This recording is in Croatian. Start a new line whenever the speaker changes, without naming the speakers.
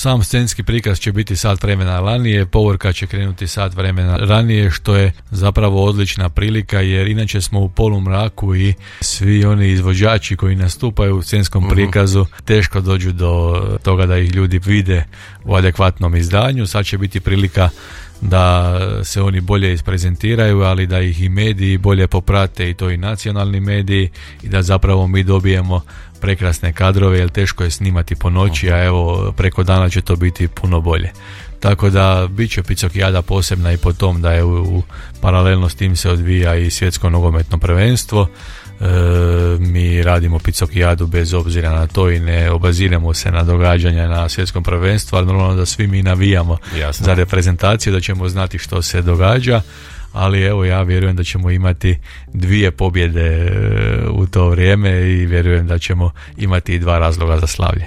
Sam scenski prikaz će biti sat vremena ranije, povorka će krenuti sat vremena ranije, što je zapravo odlična prilika, jer inače smo u polumraku i svi oni izvođači koji nastupaju u scenskom prikazu teško dođu do toga da ih ljudi vide u adekvatnom izdanju. Sad će biti prilika da se oni bolje isprezentiraju, ali da ih i mediji bolje poprate, i to i nacionalni mediji, i da zapravo mi dobijemo prekrasne kadrove, jer teško je snimati po noći, a evo preko dana će to biti puno bolje. Tako da bit će Picokijada posebna i po tom da je paralelno s tim se odvija i svjetsko nogometno prvenstvo. Mi radimo Picokijadu bez obzira na to i ne obaziramo se na događanja na svjetskom prvenstvu, ali normalno da svi mi navijamo za reprezentaciju, da ćemo znati što se događa, ali evo ja vjerujem da ćemo imati 2 pobjede u to vrijeme i vjerujem da ćemo imati i 2 razloga za slavlje.